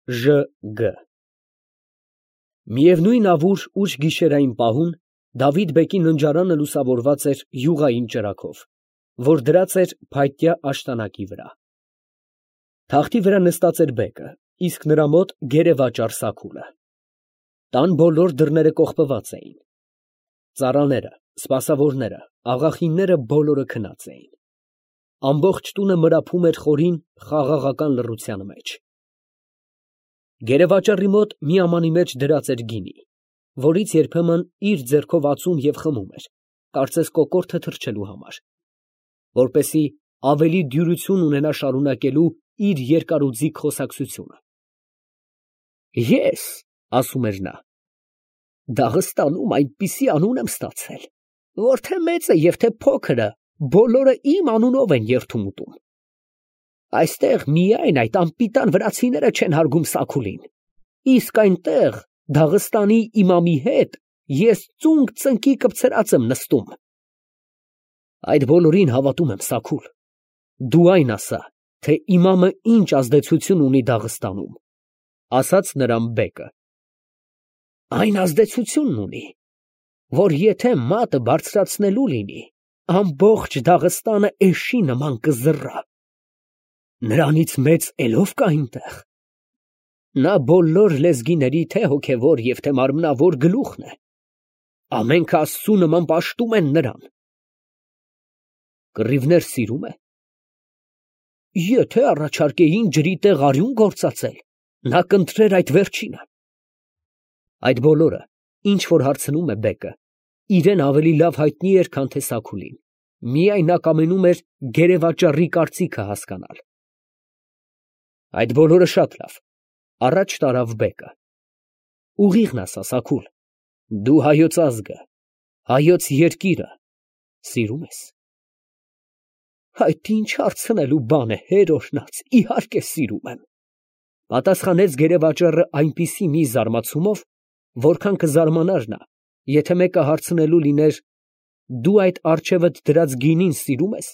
Ժ.Գ. Միևնույն ավուր ուշ գիշերային պահուն Դավիթ֊բեկի ննջարանը լուսավորված էր յուղային ճրագով, որ դրած էր փայտյա աշտանակի վրա. թախտի վրա նստած էր բեկը, իսկ նրա մոտ գերեվաճառ Սաքուրը. տան բոլոր դռները կողպված էին, ծառաները, սպասավորները, աղախինները բոլորը քնած էին, ամբողջ տունը մրափում էր խորին, խաղաղական լռության մեջ. գերեվաճառի մոտ մի ամանի մեջ դրած էր գինի, որից երբեմն իր ձեռքով ածում և խմում էր, կարծես կոկորդը թռչելու համար, որպեսզի ավելի դյուրություն ունենա շարունակելու իր երկարուձիգ խոսակցությունը։ Ես, ասում էր նա, Դաղստանում այնպիսի անուն եմ ստացել, որ թե մեծը և թե փոքրը բոլորը իմ անունով են երդում ուտում։ Այստեղ միայն այդ անպիտան վրացիները չեն հարգում Սաքուրին, իսկ այնտեղ Դաղստանի իմամի հետ ես ծունկ ծնկի կպցրած եմ նստում։ Այդ բոլորին հավատում եմ, Սաքուր, դու այն ասա, թե իմամը ինչ ազդեցություն ունի Դաղստանում, ասաց նրան բեկը։ Այն ազդեցությունն ունի, որ եթե մատը բարձրացնելու լինի, ամբողջ Դաղստանը էշի նման կզռա։ Նրանից մեծ էլով կա այնտեղ։ Նա բոլոր լեզգիների թե հոգևոր և թե մարմնավոր գլուխն է։ Ամենքը Աստծու նման պաշտում են նրան։ Կռիվներ սիրում է։ Եթե առաջարկեին ջրի տեղ արյուն գործածել, նա կընտրեր այդ վերջինը։ Այդ բոլորը, ինչ որ հարցնում է բեկը, իրեն ավելի լավ հայտնի էր, քան թե Սաքուրին, միայն նա կամենում էր գերեվաճառի կարծիքը հասկանալ։ Այդ բոլորը շատ լավ, առաջ տարավ բեկը։ Ուղիղն ասա, Սաքուր, դու հայոց ազգը, հայոց երկիրը սիրում ես։ Այդ ինչ հարցնելու բան է, հեր օրհնած, իհարկե սիրում եմ, պատասխանեց գերեվաճառը այնպիսի մի զարմացումով, որքան կզարմանար նա, եթե մեկը հարցնելու լիներ. դու այդ առջևդ դրած գինին սիրում ես։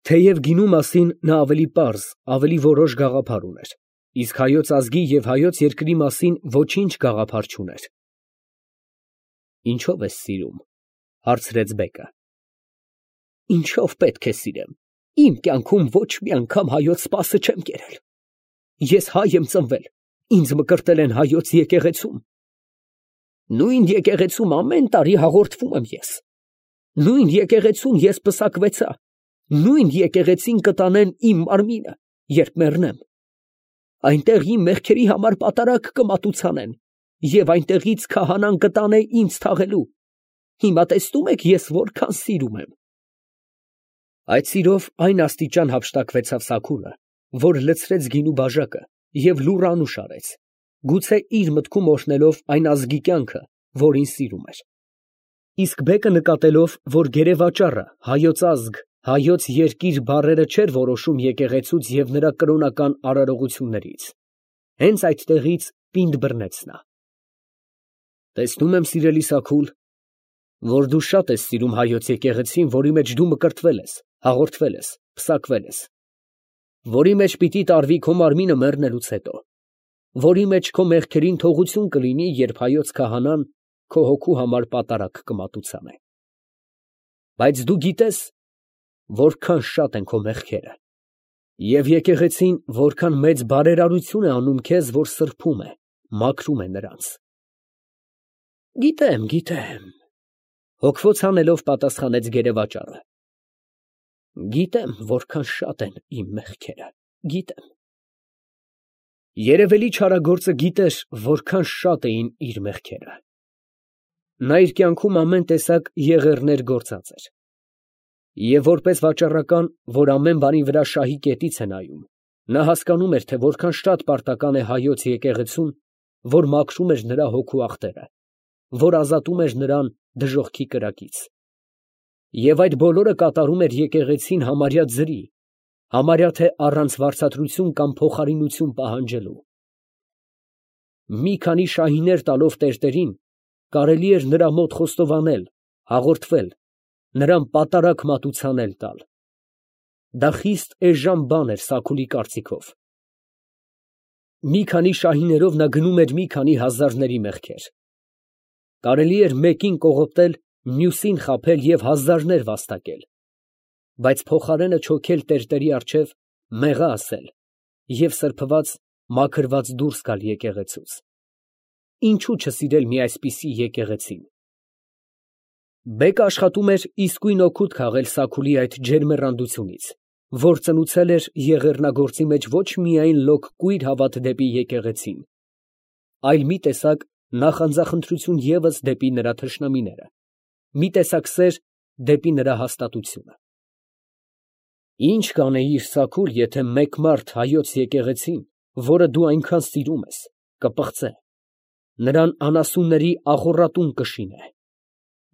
Թեև գինու մասին նա ավելի պարզ, ավելի որոշ գաղափար ուներ, իսկ հայոց ազգի և հայոց երկրի մասին ոչինչ գաղափար չուներ։ Ինչո՞վ ես սիրում, հարցրեց բեկը։ Ինչով պետք է սիրեմ, իմ կյանքում ոչ մի անգամ հայոց սպասը չեմ կերել։ Ես հայ եմ ծնվել, ինձ մկրտել են հայոց եկեղեցում։ Նույն եկեղեցում ամեն տարի հաղորդվում եմ ես։ Նույն եկեղեցում ես պսակվեցա, նույն եկեղեցին կտանեն իմ մարմինը, երբ մեռնեմ։ Այնտեղ իմ մեղքերի համար պատարագ կմատուցանեն, և այնտեղից քահանան կտանե ինձ թաղելու։ Հիմա տեսնում եք ես որքան սիրում եմ։ Այդ սիրով այն աստիճան հափշտակվեցավ Սաքուրը, որ լցրեց գինու բաժակը և լուռ անուշ արեց, գուցե իր մտքում օրհնելով այն ազգի կյանքը, որին սիրում էր։ Իսկ բեկը նկատելով, որ գերեվաճառը հայոց ազգ, հայոց երկիր բառերը չէր որոշում եկեղեցուց և նրա կրոնական արարողություններից, հենց այդտեղից պինդ բռնեց նա։ Տեսնում եմ, սիրելի Սաքուր, որ դու շատ ես սիրում հայոց եկեղեցին, որի մեջ դու մկրտվել ես, հաղորդվել ես, պսակվել ես, որի մեջ պիտի տարվի քո մարմինը մեռնելուց հետո, որի մեջ քո մեղքերին թողություն կլինի, երբ հայոց քահանան քո հոգու համար պատարագ կմատուցանե։ Բայց դու գիտես, որքան շատ են քո մեղքերը, և եկեղեցին որքան մեծ բարերարություն է անում քեզ, որ սրբում է, մաքրում է նրանց։ Գիտեմ, գիտեմ, հոգվոց հանելով պատասխանեց գերեվաճառը։ Գիտեմ, որքան շատ են իմ մեղքերը, գիտեմ։ Երևելի չարագործը գիտեր, որքան շատ էին իր մեղքերը։ Նա իր կյանքում ամեն տեսակ եղեռներ գործած էր։ Եվ որպես վաճառական, որ ամեն բանի վրա շահի կետից է նայում, նա հասկանում էր, թե որքան շատ պարտական է հայոց եկեղեցուն, որ մաքրում էր նրա հոգու ախտերը, որ ազատում էր նրան դժոխքի կրակից։ Եվ այդ բոլորը կատարում էր եկեղեցին համարյա ձրի, համարյա թե առանց վարձատրություն կամ փոխարինություն պահանջելու։ Մի քանի շահիներ տալով տերտերին, կարելի էր նրա մոտ խոստովանել, հաղորդվել, նրան պատարագ մատուցանել տալ։ Դա խիստ էժան բան էր Սաքուրի կարծիքով։ Մի քանի շահիներով նա գնում էր մի քանի հազարների մեղքեր։ Կարելի էր մեկին կողոպտել, մյուսին խաբել և հազարներ վաստակել, բայց փոխարենը չոքել տերտերի առջև, մեղա ասել և սրբված, մաքրված դուրս գալ եկեղեցուց։ Ինչու չսիրել մի այսպիսի եկեղեցին։ Բեկը աշխատում էր իսկույն օգուտ քաղել Սաքուլի այդ ջերմեռանդությունից, որ ծնուցել էր եղեռնագործի մեջ ոչ միայն լոկ կույր հավատ դեպի եկեղեցին, այլ մի տեսակ նախանձախնդրություն ևս դեպի նրա թշնամիները, մի տեսակ սեր դեպի նրա հաստատությունը։ Ինչ կանեիր, Սաքուլ, եթե մեկ մարդ հայոց եկեղեցին, որը դու այնքան սիրում ես, կպղծե, նրան անասունների աղոռատուն կշինե,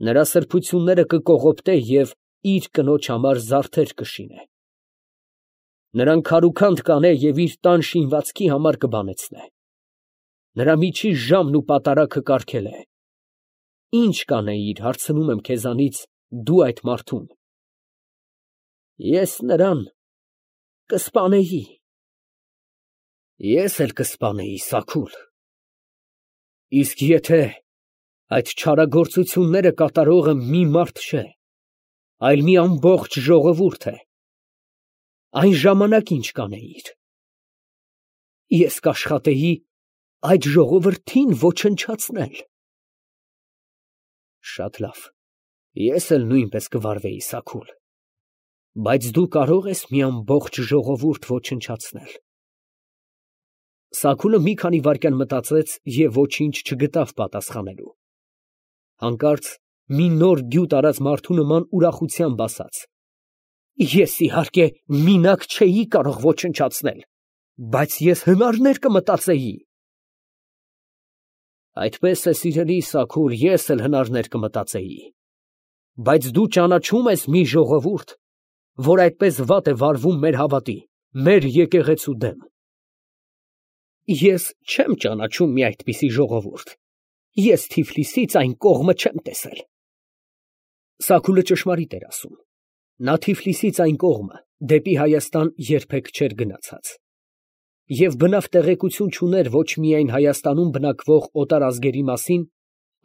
նրա սրբությունները կկողոպտե և իր կնոջ համար զարդեր կշինե, նրան քարուքանդ կանե և իր տան շինվածքի համար կբանեցնե, նրա միջի ժամն ու պատարագը կարգելե։ Ինչ կանեիր, հարցնում եմ քեզանից, դու այդ մարդուն։ Ես նրան կսպանեի։ Ես էլ կսպանեի, Սաքուլ։ Իսկ եթե այդ չարագործությունները կատարողը մի մարդ չէ, այլ մի ամբողջ ժողովուրդ է, այն ժամանակ ինչ կանեիր։ Ես կաշխատեի այդ ժողովրդին ոչնչացնել։ Շատ լավ, ես էլ նույնպես կվարվեի, Սաքուլ, բայց դու կարող ես մի ամբողջ ժողովուրդ ոչնչացնել։ Սաքուլը մի քանի վայրկյան մտածեց և ոչինչ չգտավ պատասխանելու։ Հանկարծ մի նոր գյուտ արած մարդու նման ուրախությամբ ասաց. Ես իհարկե մինակ չէի կարող ոչնչացնել, բայց ես հնարներ կմտածեի։ Այդպես է, սիրելի Սաքուլ, ես էլ հնարներ կմտածեի, բայց դու ճանաչո՞ւմ ես մի ժողովուրդ, որ այդպես վատ է վարվում մեր հավատի, մեր եկեղեցու դեմ։ Ես չեմ ճանաչում մի այդպիսի ժողովուրդ, ես Թիֆլիսից այն կողմը չեմ տեսել։ Սաքուլը ճշմարիտ էր ասում, նա Թիֆլիսից այն կողմը, դեպի Հայաստան երբեք չէր գնացած, և բնավ տեղեկություն չուներ ոչ միայն Հայաստանում բնակվող օտարազգերի մասին,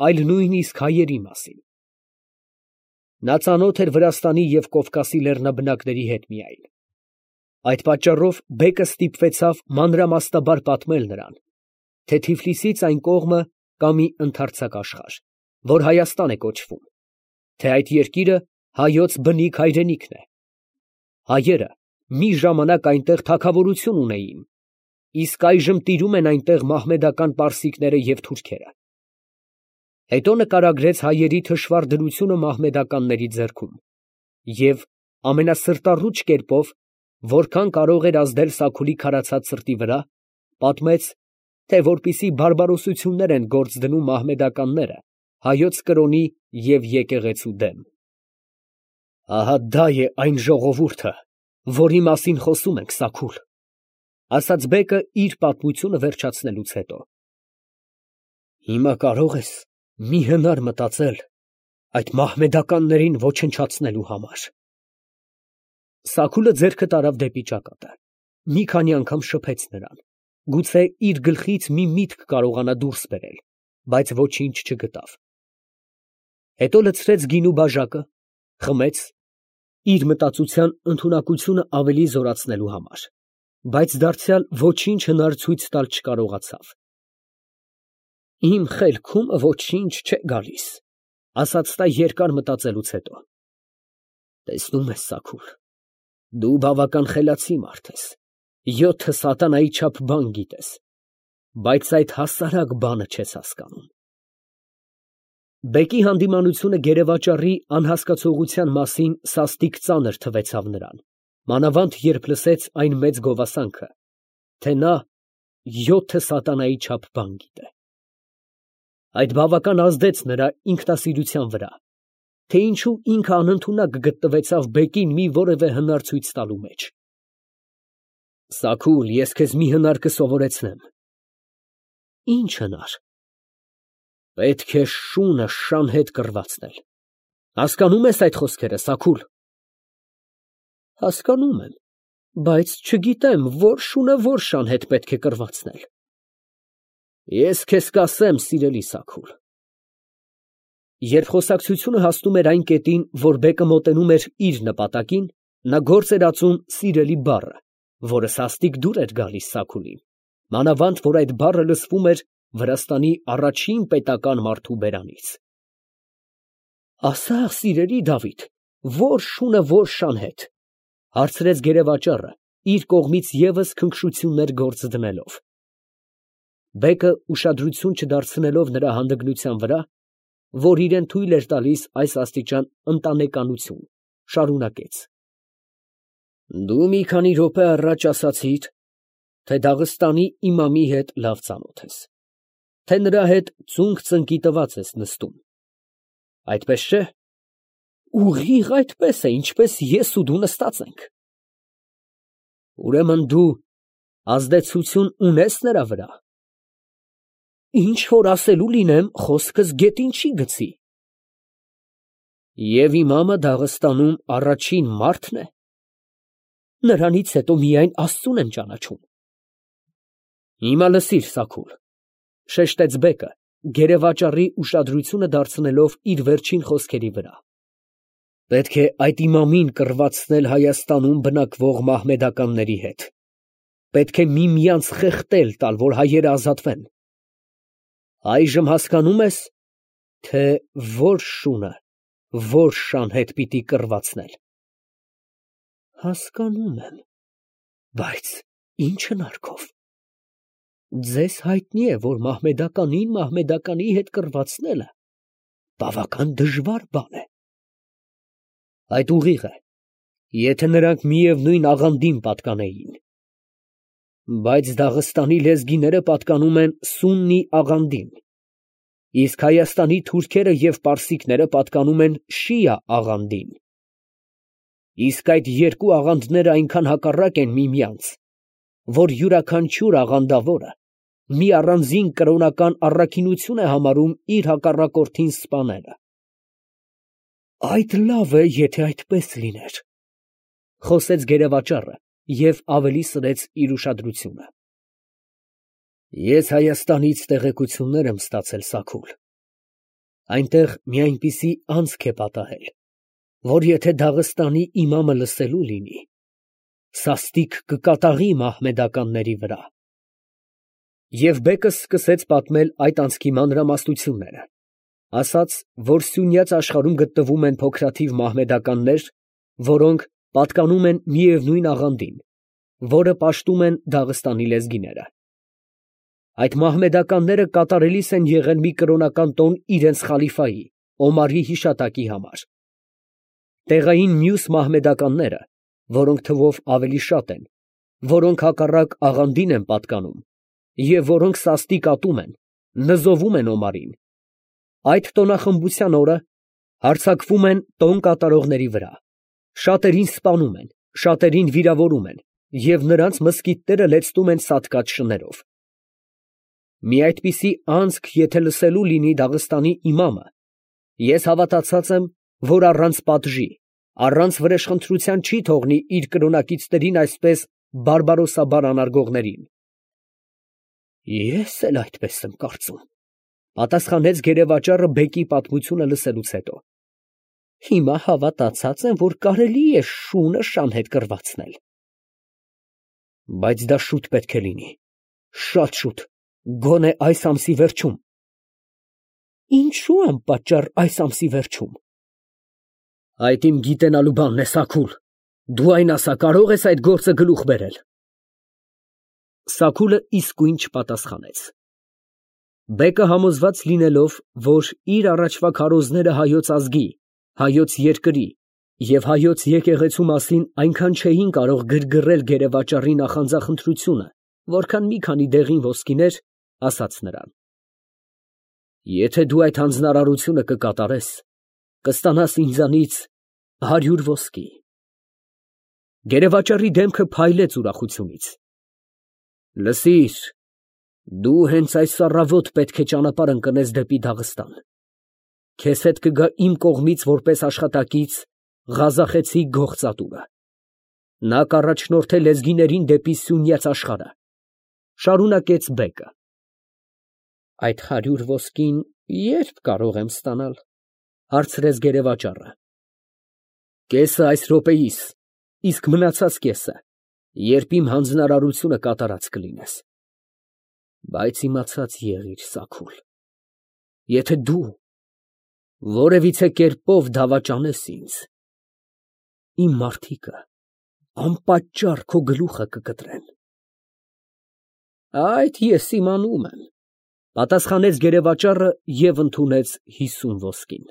այլ նույնիսկ հայերի մասին։ Նա ծանոթ էր Վրաստանի և Կովկասի լեռնաբնակների հետ միայն։ Այդ պատճառով բեկը ստիպվեցավ մանրամասնաբար պատմել նրան, թե Թիֆլիսից այն կողմը կա մի ընդարձակ աշխարհ, որ Հայաստան է կոչվում, թե այդ երկիրը հայոց բնիկ հայրենիքն է։ Հայերը մի ժամանակ այնտեղ թագավորություն ունեին, իսկ այժմ տիրում են այնտեղ մահմեդական պարսիկները և թուրքերը։ Հետո նկարագրեց հայերի թշվառ դրությունը մահմեդականների ձեռքում և ամենասրտառուչ կերպով, որքան կարող էր ազդել Սաքուլի քարացած սրտի վրա, պատմեց, թե որպիսի բարբարոսություններ են գործ դնում մահմեդականները հայոց կրոնի և եկեղեցու դեմ։ Ահա դա է այն ժողովուրդը, որի մասին խոսում ենք, Սաքուլ, ասաց բեկը իր պատմությունը վերջացնելուց հետո։ Հիմա կարող ես մի հնար մտածել այդ մահմեդականներին ոչնչացնելու համար։ Սաքուլը ձեռքը տարավ դեպի ճակատը, մի քանի անգամ շփեց նրան, գուցե իր գլխից մի միտք կարողանա դուրս բերել, բայց ոչինչ չգտավ։ Հետո լցրեց գինու բաժակը, խմեց, իր մտածության ընդունակությունը ավելի զորացնելու համար, բայց դարձյալ ոչինչ հնար ցույց տալ չկարողացավ։ Իմ խելքումը ոչինչ չէ գալիս, ասաց նա երկար մտածելուց հետո։ Տեսնում ես, Սաքուլ, դու բավական խելացի մարդ ես, 7 սատանայի չափ բան գիտես, բայց այդ հասարակ բանը չես հասկանում։ Բեկի հանդիմանությունը գերեվաճառի անհասկացողության մասին սաստիկ ծանր թվեցավ նրան, մանավանդ երբ լսեց այն մեծ գովասանքը, թե նա 7 սատանայի չափ բան գիտե։ Այդ բավական ազդեց նրա ինքնասիրության վրա, թե ինչու ինքը անընդունակ գտնվեցավ բեկին մի որևէ հնար ցույց տալու մեջ։ Սաքուլ, ես քեզ մի հնար կսովորեցնեմ։ Ինչ հնար։ Պետք է շունը շան հետ կռվածնել։ Հասկանո՞ւմ ես այդ խոսքերը, Սաքուլ։ Հասկանում եմ, Բայց չգիտեմ, որ շունը որ շան հետ պետք է կռվածնել։ Ես քեզ կասեմ, սիրելի Սաքուլ։ Երբ խոսակցությունը հասնում էր այն կետին, որ բեկը մոտենում էր իր նպատակին, նա գործ էր ածում սիրելի բառը, որը սաստիկ դուր էր գալիս Սաքուլին, մանավանդ որ այդ բառը լսվում էր Վրաստանի առաջին պետական մարդու բերանից։ Ասա, սիրելի Դավիթ, որ շունը որ շան հետ, հարցրեց գերեվաճառը, իր կողմից ևս քնքշություններ գործ դնելով։ Բեկը ուշադրություն չդարձնելով նրա հանդգնության վրա, որ իրեն թույլ էր տալիս այս աստիճան ընտանեկանություն, շարունակեց. Դու մի քանի րոպե առաջ ասացիր, թե Դաղստանի իմամի հետ լավ ծանոթ ես, թե նրա հետ ծունկ ծնկի տված ես նստում, այդպես չէ՞։ Ուղիղ այդպես է, ինչպես ես ու դու նստած ենք։ Ուրեմն դու ազդեցություն ունես նրա վրա։ Ինչ որ ասելու լինեմ, խոսքս գետին չի գցի։ Եվ իմամը Դաղստանում առաջին մարդն է։ Նրանից հետո միայն Աստծուն եմ ճանաչում։ Հիմա լսիր, Սաքուլ, շեշտեց բեկը, գերեվաճառի ուշադրությունը դարձնելով իր վերջին խոսքերի վրա։ Պետք է այդ իմամին կռվածնել Հայաստանում բնակվող մահմեդականների հետ։ Պետք է միմյանց խեղդել տալ, որ հայերը ազատվեն։ Այժմ հասկանում ես, թե որ շունը, որ շան հետ պիտի կռվածնել։ Հասկանում եմ, բայց ինչ հնարքով։ Ձեզ հայտնի է, որ մահմեդականին մահմեդականի հետ կռվածնելը բավական դժվար բան է։ Այդ ուղիղ է, եթե նրանք միևնույն աղանդին պատկանեին։ Բայց Դաղստանի լեզգիները պատկանում են սուննի աղանդին, իսկ Հայաստանի թուրքերը և պարսիկները պատկանում են շիա աղանդին։ Իսկ այդ երկու աղանդները այնքան հակառակ են միմյանց, որ յուրաքանչյուր աղանդավորը մի առանձին կրոնական առաքինություն է համարում իր հակառակորդին սպանելը։ Այդ լավ է, եթե այդպես լիներ, խոսեց գերեվաճառը և ավելի սրեց իր ուշադրությունը։ Ես Հայաստանից տեղեկություններ եմ ստացել, Սաքուլ։ Այնտեղ մի այնպիսի անցք է պատահել, որ եթե Դաղստանի իմամը լսելու լինի, սաստիկ կկատաղի մահմեդականների վրա։ Եվ բեկը սկսեց պատմել այդ անցքի մանրամասնությունները, ասաց, որ սյունյաց աշխարհում գտնվում են փոքրաթիվ մահմեդականներ, որոնք պատկանում են միևնույն աղանդին, որը պաշտում են Դաղստանի լեզգիները։ Այդ մահմեդականները կատարելիս են եղել մի կրոնական տոն իրենց խալիֆայի՝ Օմարի հիշատակի համար։ Տեղային մյուս մահմեդականները, որոնք թվով ավելի շատ են, որոնք հակառակ աղանդին են պատկանում, և որոնք սաստիկ ատում են, նզովում են Օմարին, այդ տոնախմբության օրը հարձակվում են տոն կատարողների վրա, շատերին սպանում են, շատերին վիրավորում են և նրանց մզկիթները լեցնում են սատկած շներով։ Մի այդպիսի անցք եթե լսելու լինի Դաղստանի իմամը, ես հավատացած եմ, որ առանց պատժի, առանց վրեժխնդրության չի թողնի իր կրոնակիցներին այսպես բարբարոսաբար անարգողներին։ Ես էլ այդպես եմ կարծում, պատասխանեց գերեվաճառը բեկի պատմությունը լսելուց հետո։ Հիմա հավատացած եմ, որ կարելի է շունը շան հետ կռվածնել։ Բայց դա շուտ պետք է լինի, շատ շուտ, գոնե այս ամսի վերջում։ Ինչու անպատճառ այս ամսի վերջում։ Այդ իմ գիտենալու բանն է, Սաքուլ, դու այն ասա, կարող ես այդ գործը գլուխ բերել։ Սաքուլը իսկույն չպատասխանեց։ Բեկը համոզված լինելով, որ իր առաջվա քարոզները հայոց ազգի, հայոց երկրի և հայոց եկեղեցու մասին այնքան չէին կարող գրգռել գերեվաճառի նախանձախնդրությունը, որքան մի քանի դեղին ոսկիներ, ասաց նրան. Եթե դու այդ հանձնարարությունը կկատարես, կստանաս ինձանից 100 ոսկի։ Գերեվաճառի դեմքը փայլեց ուրախությունից։ Լսիր, դու հենց այս առավոտ պետք է ճանապարհ ընկնես դեպի Դաղստան։ Քեզ հետ կգա իմ կողմից որպես աշխատակից Ղազախեցի գողծատուրը։ Նա կառաջնորդե լեզգիներին դեպի սյունյաց աշխարհը։ Շարունակեց բեկը։ Այդ 100 ոսկին ե՞րբ կարող եմ ստանալ, հարցրեց գերեվաճառը։ Կեսը այս րոպեիս, իսկ մնացած կեսը, երբ իմ հանձնարարությունը կատարած կլինես։ Բայց իմացած եղիր, Սաքուլ, եթե դու որևիցե կերպով դավաճանես ինձ, իմ մարդիկը անպատճառ քո գլուխը կկտրեն։ Այդ ես իմանում եմ, պատասխանեց գերեվաճառը և ընդունեց 50 ոսկին։